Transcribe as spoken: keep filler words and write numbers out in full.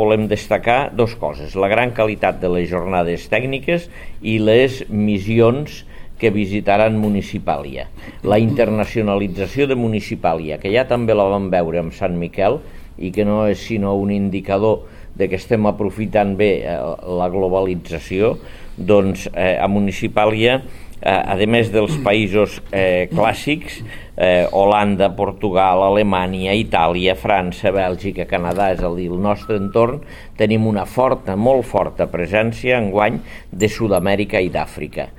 Volem destacar dues coses: la gran qualitat de les jornades tècniques i les missions que visitaran Municipàlia. La internacionalització de Municipàlia, que ja també la vam veure amb Sant Miquel i que no és sinó un indicador de que estem aprofitant bé eh, la globalització, doncs eh, a Municipàlia, eh, a més dels països eh, clàssics, eh, Holanda, Portugal, Alemanya, Itàlia, França, Bèlgica, Canadà, és a dir, el nostre entorn, tenim una forta, molt forta presència enguany de Sud-amèrica i d'Àfrica.